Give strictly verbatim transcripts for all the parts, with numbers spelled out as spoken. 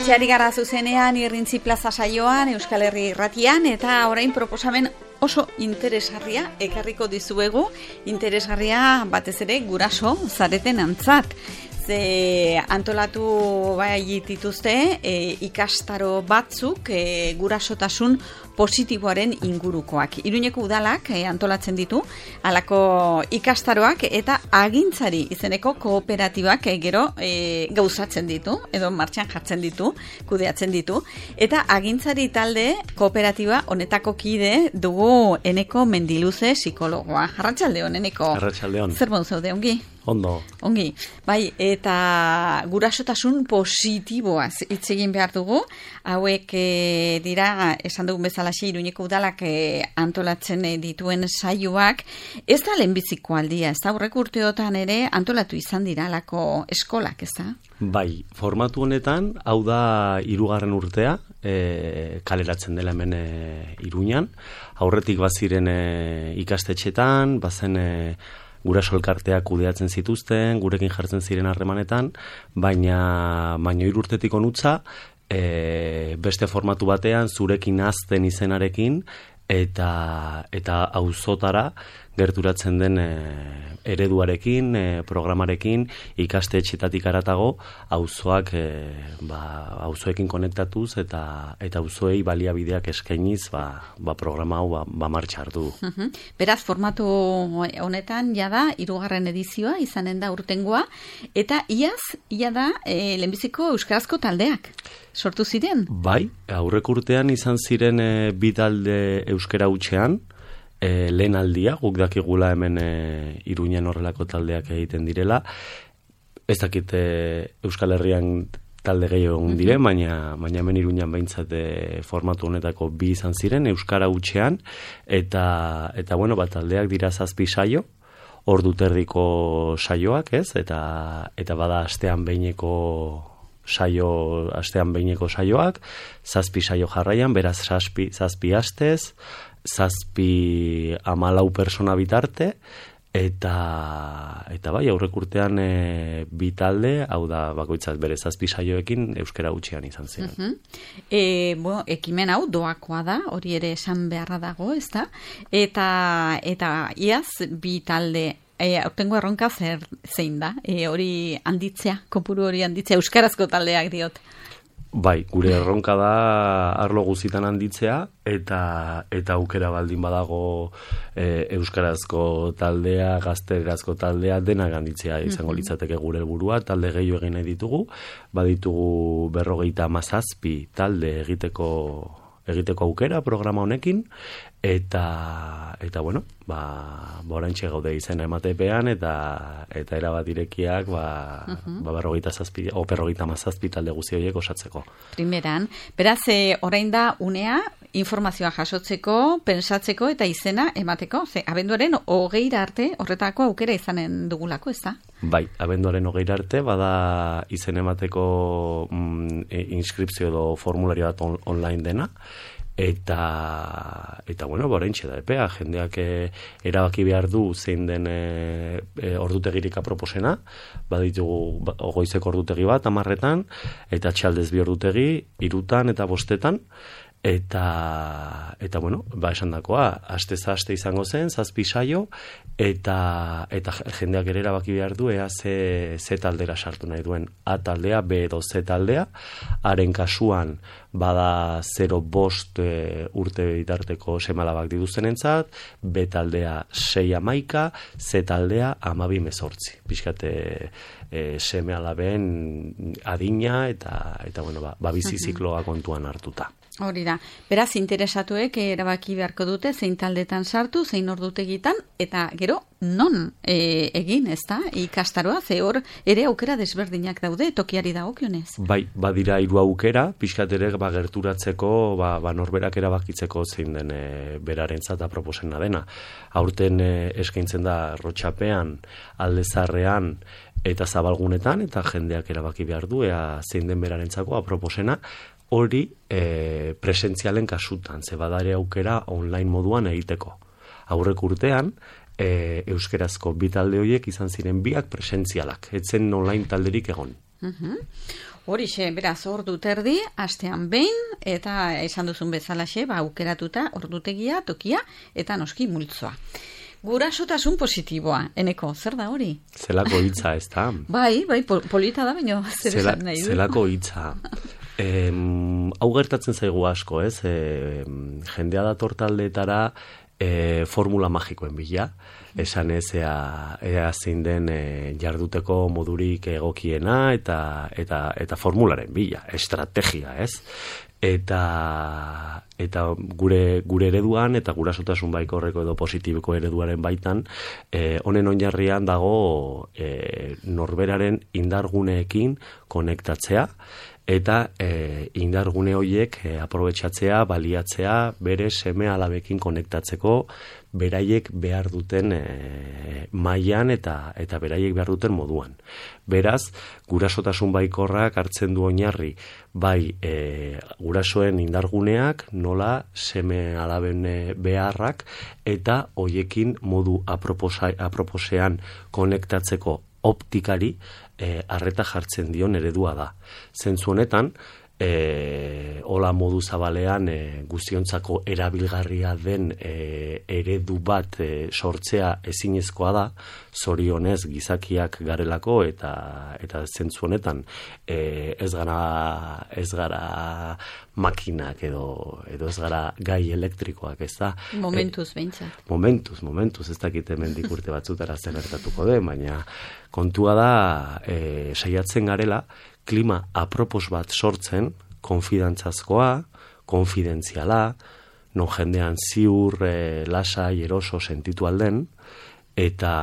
Etxeari gara zuzenean Irrintzi Plaza saioan, Euskal Herri Irratian, eta orain proposamen oso interesgarria ekarriko dizuegu, interesgarria batez ere guraso zareten antzat. Ze antolatu bai dituzte e, ikastaro batzuk e, gurasotasun positiboaren ingurukoak. Iruñeko udalak e, antolatzen ditu halako ikastaroak eta agintzari izeneko kooperatibak e, gero e, gauzatzen ditu edo martxan jartzen ditu, kudeatzen ditu, eta agintzari talde kooperatiba honetako kide dugu Eneko Mendiluze psikologoa. Arratsaldeon, Eneko. Arratsaldeon. Zer bon zaude, ongi? Ondo. Ongi, bai, eta gurasotasun positiboaz hitz egin behar dugu. Hauek e, dira, esan dugun bezalaxe, Iruñeko udalak e, antolatzen e, dituen saioak. Ez da lehenbiziko aldia, ez da aurreko urteotan ere antolatu izan dira alako eskolak, ez da? Bai, formatu honetan, hau da hirugarren urtea, e, kaleratzen dela hemen e, Iruñan. Aurretik baziren e, ikastetxetan, bazen e, guraso elkarteak kudeatzen zituzten, gurekin jartzen ziren harremanetan, baina baina hiru urtetik honutza, e, beste formatu batean zurekin hazten izenarekin eta eta auzotara gerturatzen den e, ereduarekin, e, programarekin, ikastetxetatik haratago auzoak e, ba auzoekin konektatuz eta eta auzoei baliabideak eskainiz, ba, ba programa hau ba, ba martxa hartu. Uh-huh. Beraz, formatu honetan jada hirugarren edizioa izanen da urtengoa, eta iaz ia da e, lehenbiziko euskarazko taldeak sortu ziren. Bai, aurreko urtean izan ziren e, bi talde euskara hutsean. E, lehen aldia, guk dakigula hemen e, Iruñan horrelako taldeak egiten direla. Ez dakit e, Euskal Herrian talde gehiago egon dire, baina, baina hemen Iruñan behintzat e, formatu honetako bi izan ziren, euskara hutsean, eta, eta bueno, bat taldeak dira zazpi saio, ordu terdiko saioak, ez? Eta, eta bada astean behineko saio, astean behineko saioak, zazpi saio jarraian, beraz zazpi, zazpi astez, zazpi hamalau persona bitarte, eta eta bai, aurrek urtean e, bi talde, hau da bakoitzat bere zazpi saioekin euskara hutsean izan zen. Uh-huh. e, bueno, ekimen hau doakoa da, hori ere esan beharra dago, ez da? Eta, eta iaz bi talde E, aurtengo erronka zer zein da? E, hori handitzea, kopuru hori handitzea, euskarazko taldeak diot. Bai, gure erronka da arlo guztitan handitzea, eta eta aukera baldin badago e, euskarazko taldea, gazterazko taldea, denak handitzea izango litzateke gure helburua. Talde gehiago egin nahi ditugu, baditugu berrogeita hamazazpi talde egiteko egiteko aukera programa honekin, eta eta bueno, ba oraintxe gaude izena ematepean, eta eta erabat irekiak ba uh-huh. ba berrogeita zazpi o berrogeita hamazazpi talde guzti horiek osatzeko. Primeran, beraz e, orain da unea informazioa jasotzeko, pensatzeko eta izena emateko, ze abenduaren hogeira arte horretako aukera izanen dugulako, ez da? Bai, abenduaren hogeira arte bada izen emateko mm, inskripzio edo formulario bat on, online dena, eta eta bueno, oraintxe da epea, jendeak e, erabaki behar du zein den e, e, ordutegirik aproposena, baditugu ba, goizeko ordutegi bat hamarretan, eta txaldez bi ordutegi hirutan eta bostetan. Eta, eta bueno, ba esandakoa, aste aste izango zen, zazpi saio, eta, eta jendeak ere erabaki behar du, ea ze, ze taldera sartu nahi duen. A taldea, B edo Z taldea, haren kasuan bada zero bost e, urte bitarteko semalabak dituztenentzat, B taldea sei hamaika, Z taldea hamabi mezortzi. Pixkate e, seme alaben adina, eta, eta bueno, ba, ba bizi zikloa kontuan hartuta. Hori da. Beraz, interesatuek erabaki beharko dute zein taldetan sartu, zein ordutegitan, eta gero non e, egin, ez da? Ikastaroa, ze hor ere aukera desberdinak daude, tokiari dagokionez. Bai, badira hiru aukera, pixkat ere ba, gerturatzeko, ba, ba, norberak erabakitzeko zein den e, berarentzat aproposena dena. Aurten e, eskaintzen da Rotxapean, Aldezarrean, eta Zabalgunetan, eta jendeak erabaki behar du, ea zein den berarentzako aproposena, hori e, presentzialen kasutan, ze badare aukera online moduan egiteko. Aurrek urtean, e, euskerazko bi talde horiek izan ziren biak presentzialak, etzen online talderik egon. Mhm. Horixe, beraz, ordu terdi, astean behin, eta esan duzun bezalaxe, ba, aukeratuta, ordutegia, tokia, eta noski multzoa. Gurasotasun positiboa, eneko, zer da hori? Zelako hitza, ez da? Bai, bai, pol polita da, baina zer Zela, esan nahi du. Zelako hitza. E, hau gertatzen zaigu asko, ez? E, jendea dator taldeetara e, formula magikoen bila. Esan ez, ea, ea zein den e, jarduteko modurik egokiena eta, eta, eta formularen bila, estrategia, ez? Eta, eta gure, gure ereduan eta gurasotasun baikorreko edo positibiko ereduaren baitan, e, honen oinarrian dago e, norberaren indarguneekin konektatzea, eta e, indargune horiek e, aprobetxatzea, baliatzea, bere seme alabekin konektatzeko, beraiek behar duten e, mailan eta eta beraiek behar duten moduan. Beraz, gurasotasun baikorrak hartzen du oinarri, bai e, gurasoen indarguneak, nola seme alaben beharrak, eta hoiekin modu aproposa, aproposean konektatzeko optikari e, arreta jartzen dion eredua da. Zentzu honetan, E, hola modu zabalean e, guztiontzako erabilgarria den e, eredu bat e, sortzea ezinezkoa da, zorionez gizakiak garelako eta eta zentzu honetan e, ez gara ez gara makinak edo edo ez gara gai elektrikoak, ez da? Momentuz behintzat. E, momentuz, momentuz, ez dakit hemendik urte batzutara zer gertatuko den, baina kontua da e, saiatzen garela klima apropos bat sortzen, konfidantzazkoa, konfidentziala, non jendean ziur, e, lasai, eroso sentitu alden, eta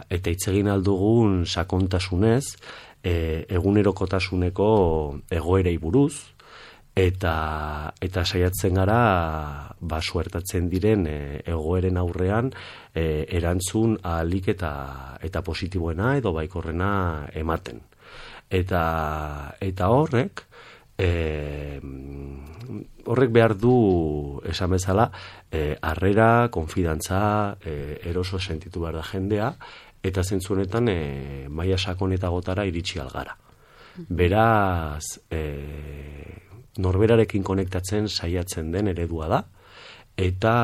eta hitz egin aldugun sakontasunez, e, egunerokotasuneko egoerei buruz, eta eta saiatzen gara ba suertatzen diren e, egoeren aurrean e, erantzun ahalik eta eta positiboena edo baikorrena ematen. Eta, eta horrek, e, horrek behar du, esan bezala, e, harrera, konfidantza, e, eroso sentitu behar da jendea, eta zentzu honetan e, maila sakonetagotara iritsi algara. Beraz, e, norberarekin konektatzen saiatzen den eredua da, eta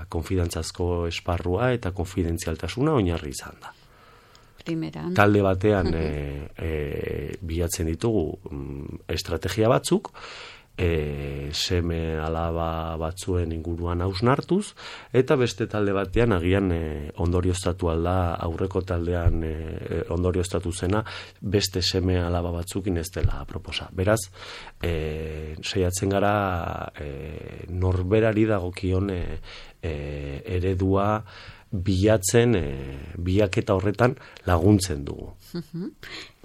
konfidantzazko esparrua eta konfidentzialtasuna oinarri izan da. Primeran. Talde batean e, e, bilatzen ditugu mm, estrategia batzuk, e, seme alaba batzuen inguruan hausnartuz, eta beste talde batean agian e, ondorioztatu alda aurreko taldean e, ondorioztatu zena beste seme alaba batzukin ez dela proposa. Beraz, e, saiatzen gara e, norberari dagokion e, e, eredua bilatzen, e, bilaketa horretan laguntzen dugu. Uh-huh.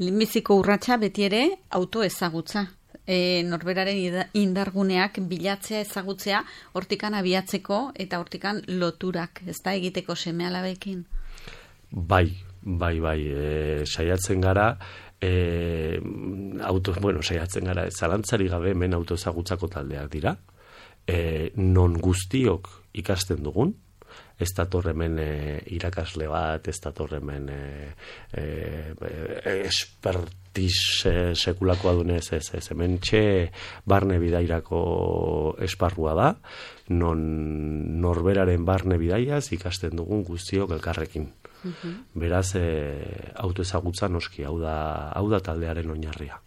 Lehenbiziko urratsa beti ere autoezagutza. E, norberaren indarguneak bilatzea, ezagutzea, hortikan abiatzeko eta hortikan loturak, ez da egiteko seme alabekin? Bai, bai, bai, e, saiatzen gara, e, auto, bueno, saiatzen gara, zalantzari gabe hemen autoezagutzako taldeak dira, e, non guztiok ikasten dugun, ez datorremen e, irakasle bat, ez datorremen e, e, e, espertiz e, sekulakoa dunez, ez, ez, hemen txe barne bidairako esparrua da, non norberaren barne bidaiaz ikasten dugun guztiok elkarrekin. Uh-huh. Beraz, e, autoezagutza noski, hau da, hau da taldearen oinarria.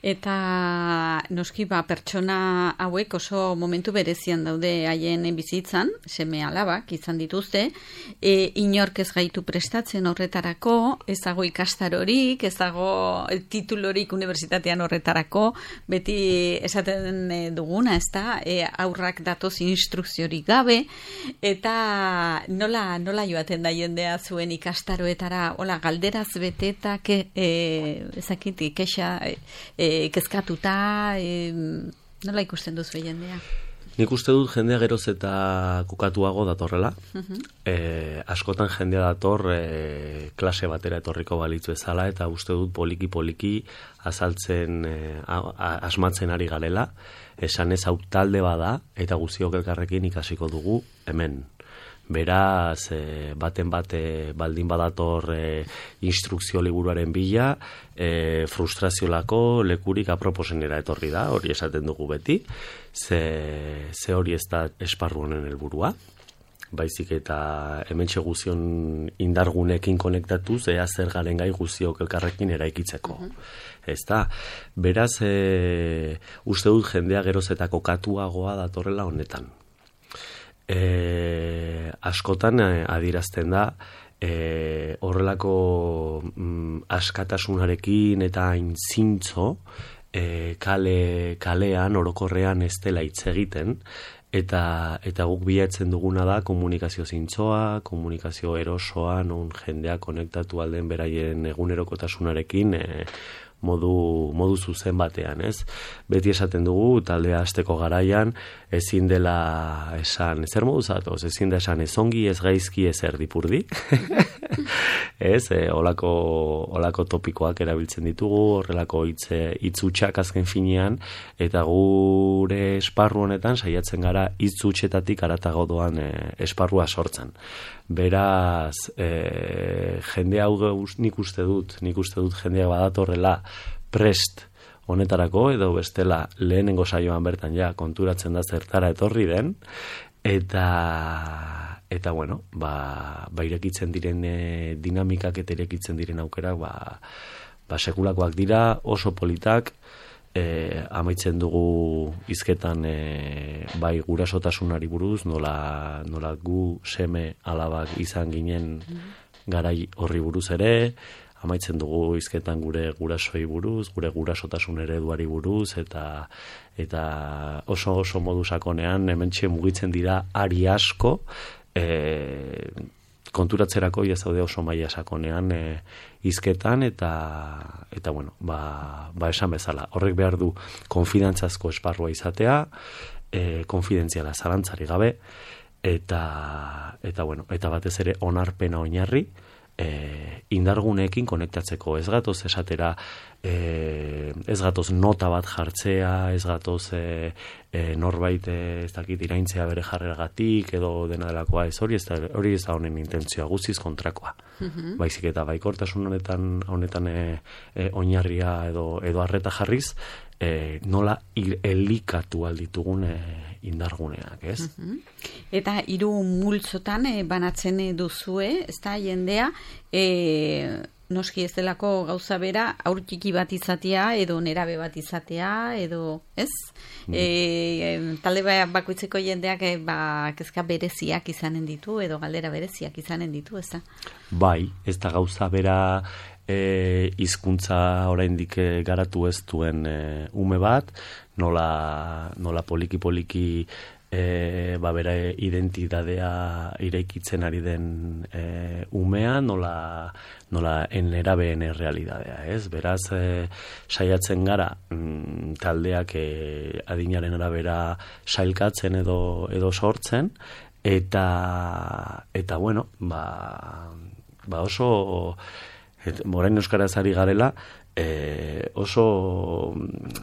Eta noski ba, pertsona hauek oso momentu berezian daude haien bizitzan, seme alabak izan dituzte, e, inork ez gaitu prestatzen horretarako, ez dago ikastarorik, ez dago titulorik unibertsitatean horretarako, beti esaten duguna, ez da, e, aurrak datoz instrukziorik gabe, eta nola, nola joaten da jendea zuen ikastaroetara, hola, galderaz betetak, e, ezakit, kexa, e, kezkatuta, e, nola ikusten duzu jendea? Nik uste dut jendea geroz eta kukatuago datorrela. Uh-huh. E, askotan jendea dator e, klase batera etorriko balitzu ezala, eta uste dut poliki-poliki azaltzen, e, a, a, asmatzen ari garela, esan ez hau talde bada, eta guztiok elkarrekin ikasiko dugu hemen. Beraz, e, baten bate baldin badator e, instrukzio liburuaren bila, e, frustraziolako lekurik aproposenera etorri da, hori esaten dugu beti, ze, ze hori ez da esparru honen helburua, baizik eta hementxe guzion indargunekin konektatuz, ea zer garen gai guziok elkarrekin eraikitzeko. Uh-huh. Ez da, beraz, e, uste dut jendea gerozetako katuagoa datorrela honetan. E, askotan e, adirazten da, e, horrelako mm, askatasunarekin eta hain zintzo, e, kale, kalean, orokorrean ez dela hitz egiten, Eta, eta guk bilatzen duguna da komunikazio zintzoa, komunikazio erosoa, non jendea konektatu alden beraien egunerokotasunarekin e, modu, modu zuzen batean, ez? Beti esaten dugu, taldea hasteko garaian, ezin dela esan, zer modu zatoz, ezin da esan ez ongi, ez gaizki, ez erdipurdi. Ez, e, olako, olako topikoak erabiltzen ditugu, horrelako hitz hitzutsak azken finean, eta gure esparru honetan saiatzen gara hitz hutsetatik haratago doan e, esparrua sortzen. Beraz, e, jende hau nik uste dut, nik uste dut jendea badatorrela prest honetarako, edo bestela lehenengo saioan bertan ja konturatzen da zertara etorri den, eta eta bueno, ba, ba irekitzen diren e, dinamikak eta irekitzen diren aukerak ba, ba sekulakoak dira, oso politak, e, amaitzen dugu hizketan e, bai gurasotasunari buruz, nola, nola gu seme alabak izan ginen garai horri buruz ere, amaitzen dugu hizketan gure gurasoi buruz, gure gurasotasun ereduari buruz, eta eta oso oso modu sakonean hementxe mugitzen dira ari asko, e, konturatzerako ja zaude oso maila sakonean e, hizketan, eta eta bueno, ba, ba esan bezala, horrek behar du konfidantzazko esparrua izatea, e, konfidentziala zalantzari gabe, eta eta bueno, eta batez ere onarpena oinarri, E, indarguneekin konektatzeko, ez gatoz esatera, e, ez gatoz nota bat jartzea, ez gatoz e, e, norbait e, ez dakit iraintzea bere jarreragatik edo dena delakoa, ez hori ez da, hori ez da honen intentzioa, guztiz kontrakoa. Uh-huh. Baizik eta baikortasun honetan, honetan e, e, oinarria edo, edo arreta jarriz, e, nola il, elikatu alditugun e, indarguneak, ez? Uh-huh. Eta hiru multzotan e, banatzen duzue, ez da jendea, e, noski ez delako gauza bera, haur txiki bat izatea, edo nerabe bat izatea, edo, ez? Mm. E, talde bakoitzeko jendeak e, ba, kezka bereziak izanen ditu, edo galdera bereziak izanen ditu, ez da? Bai, ez da gauza bera e, hizkuntza oraindik garatu ez duen e, ume bat, nola, nola poliki-poliki E, ba, bera identitatea iraikitzen ari den e, umea, nola, nola enerabeen errealidadea, ez? Beraz, e, saiatzen gara mm, taldeak e, adinaren arabera sailkatzen edo, edo sortzen, eta, eta bueno, ba, ba oso, et, morain euskaraz ari garela, E, oso,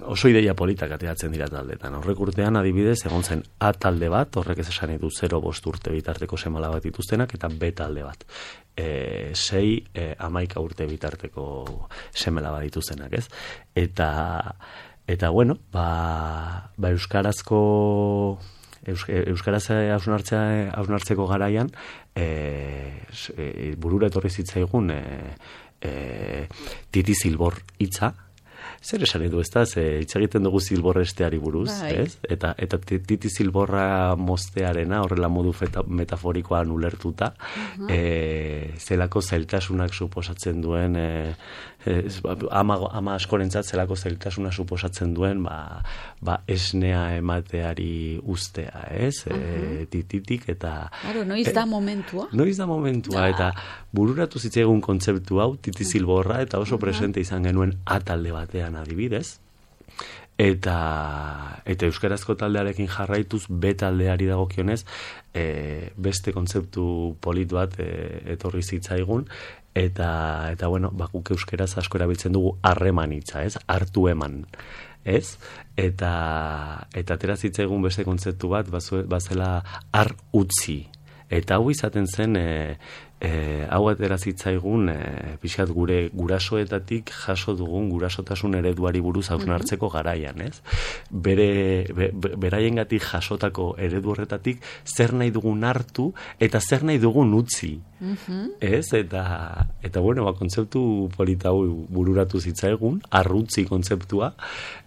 oso ideia politak ateratzen dira taldetan. Horrek urtean adibidez egon zen A talde bat, horrek ez esan edu zero bost urte bitarteko semala bat dituztenak, eta B talde bat. E, sei, e, amaika urte bitarteko semela bat dituztenak, ez? Eta, eta bueno, ba, ba euskarazko euskaraz hausnartzeko garaian e, e, burura etorri zitzaigun e, E, titi zilbor hitza, zer esan edu ez da, hitz egiten dugu zilborresteari buruz, ez? Eta, eta titi zilborra moztearena, horrela modu feta, metaforikoan ulertuta, uh-huh. e, zelako zailtasunak suposatzen duen, e, e, ama, ama askorentzat zelako zailtasuna suposatzen duen, ba, ba esnea emateari ustea, ez? Uh-huh. E, tititik eta... Claro, noiz da momentua. Noiz da momentua, da. Eta bururatu zitzaigun kontzeptu hau, titi zilborra, eta oso presente izan genuen atalde batean adibidez, eta eta euskarazko taldearekin jarraituz B taldeari dagokionez e, beste kontzeptu polit bat e, etorri zitzaigun, eta eta bueno, bakuk euskaraz asko erabiltzen dugu harreman hitza, ez? Hartu eman, ez? Eta eta atera zitzaigun beste kontzeptu bat bazue, bazela har utzi. Eta hau izaten zen, e, e, hau atera zitzaigun, e, pixkat gure gurasoetatik jaso dugun gurasotasun ereduari buruz hausnartzeko garaian, ez? Bere, be, beraiengatik jasotako eredu horretatik zer nahi dugun hartu eta zer nahi dugun utzi. Mm-hmm. Ez? Eta, eta bueno, ba, kontzeptu polita hau bururatu zitzaigun, arrutzi kontzeptua,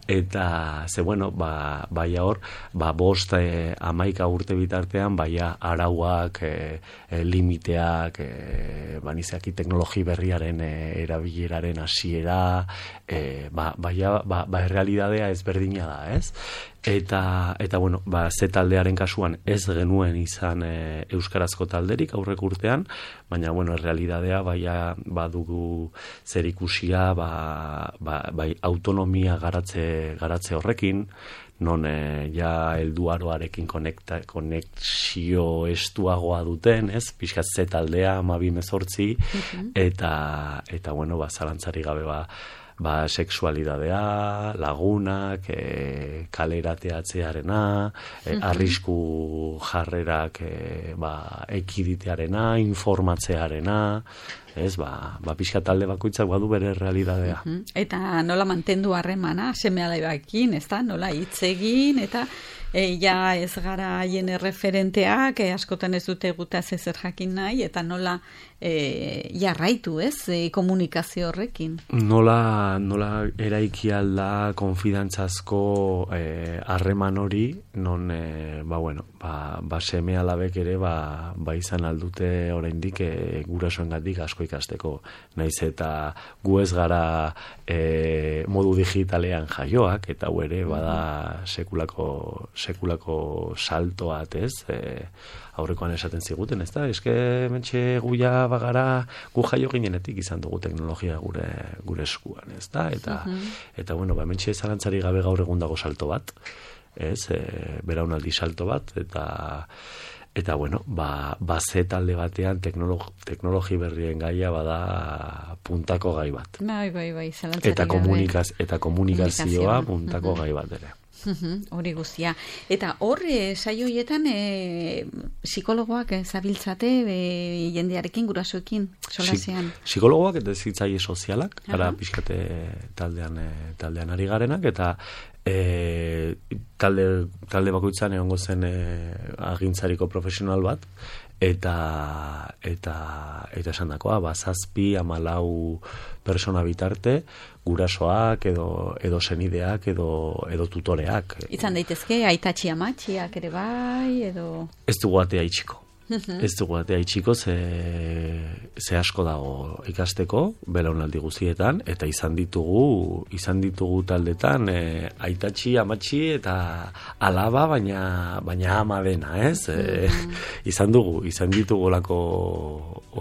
eta ze bueno, ba, baia hor, ba, bost e, amaika urte bitartean, baia arauak, e, e, limiteak, e, banizaki teknologi berriaren e, erabileraren hasiera, e, ba, baia, ba, ba, errealidadea ezberdina da, ez? Eta, eta bueno, ba, ze taldearen kasuan ez genuen izan e, euskarazko talderik aurrek urtean, baina, bueno, realidadea baia badugu zer ikusia, ba, ba, bai, autonomia garatze, garatze horrekin, non e, ja helduaroarekin konekta, konexio estuagoa duten, ez? Pixkat ze taldea, amabi mezortzi, mm-hmm. eta, eta, bueno, ba, zalantzari gabe, ba, ba, sexualidadea, lagunak, e, kalerateatzearena, e, arrisku jarrerak e, ba, ekiditearena, informatzearena, ez, ba, ba pixka talde bakoitzak badu bere realidadea. Uh-huh. Eta nola mantendu harremana, seme-alabeekin, ez da, nola hitz egin, eta e, ja ez gara haien erreferenteak, e, askotan ez dute gutaz ezer jakin nahi, eta nola e, jarraitu, ez, e, komunikazio horrekin. Nola, nola eraiki alda konfidantzazko harreman e, hori, non, e, ba, bueno, ba, ba seme-alabek ere, ba, ba izan aldute oraindik e, gurasoengatik asko ikasteko, naiz eta gu ez gara e, modu digitalean jaioak, eta hu ere bada sekulako, sekulako saltoat, ez? E, aurrekoan esaten ziguten, ez da? Eske mentxe guia bagara, gu jaio ginenetik izan dugu teknologia gure, gure eskuan, ez da? Eta, uh-huh. eta bueno, ba, mentxe zalantzari gabe gaur egun dago salto bat, ez? E, beraunaldi salto bat, eta Eta, bueno, ba, ba ze talde batean teknologi, teknologi berrien gaia bada puntako gai bat. Bai, bai, bai, eta, komunikaz, eta komunikazioa puntako uh-huh. gai bat ere. Hori uh-huh, guztia. Eta hor, e, saioietan, e, psikologoak zabiltzate e, jendearekin, gurasoekin, solasean? Si, psikologoak eta zitzaile sozialak, uh-huh. gara pixkate taldean, e, taldean ari garenak, eta E, talde, talde bakoitzan egongo zen e, agintzariko profesional bat, eta eta eta esan dakoa, ba, zazpi, amalau persona bitarte, gurasoak edo, edo senideak edo, edo tutoreak. Izan daitezke, aitatxi amatxiak ere bai, edo... Ez dugu atea itxiko. Ez dugu atea itxiko, ze, ze asko dago ikasteko, belaunaldi guztietan, eta izan ditugu, izan ditugu taldetan, e, aitatxi, amatxi eta alaba, baina, baina ama dena, ez? E, izan dugu, izan ditugu olako,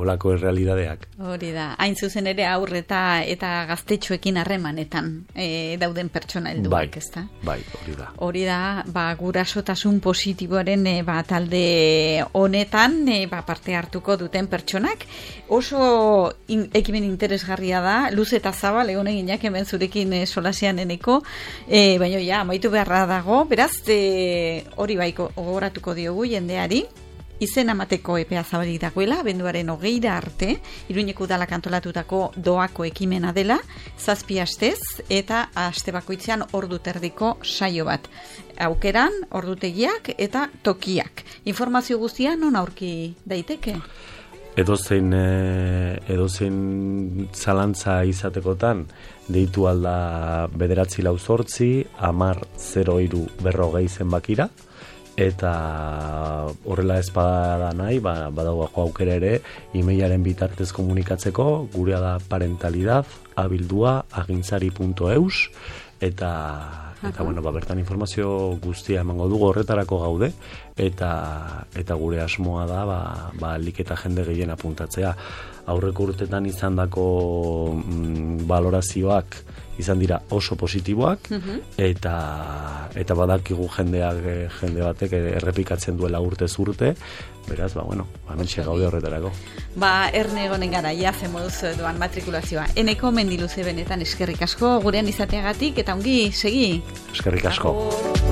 olako errealidadeak. Hori da, hain zuzen ere aurreta eta gaztetxoekin harremanetan e, dauden pertsona helduak, bai, ez da? Bai, hori da. Hori da, ba, gurasotasun positiboaren e, ba, talde honet E, ba, parte hartuko duten pertsonak. Oso in, ekimen interesgarria da, luz eta zabal, egon eginak hemen zurekin e, solasean eneko, e, baina ja, amaitu beharra dago, beraz, e, hori baiko ogoratuko diogu jendeari, izen amateko epea zabalik dagoela, abenduaren hogeira arte, Iruñeko udalak antolatutako doako ekimena dela, zazpi astez, eta aste bakoitzean ordu terdiko saio bat. Aukeran, ordutegiak eta tokiak. Informazio guztia non aurki daiteke? Edozein, edozein zalantza izatekotan, deitu alda bederatzi lau zortzi, amar zero iru berrogei zenbakira, eta horrela ez bada nahi, ba, badago aukera ere, e-mailaren bitartez komunikatzeko, gurea da parentalidad, abildua, agintzari punto eus, eta... Eta, bueno, ba, bertan informazio guztia emango dugu horretarako gaude, eta eta gure asmoa da, ba, ba liketa jende gehien apuntatzea. Aurreko urtetan izandako mm, valorazioak izan dira oso positiboak, uh-huh. eta eta badakigu jendeak jende batek errepikatzen duela urtez urte, beraz, ba, bueno, ba, mentxe gaude horretarako. Ba, erne egonen gara, ja, zemoduz doan matrikulazioa. Eneko mendiluze benetan eskerrik asko, gurean izateagatik, eta ongi, segi. Eskerrik asko. Agur.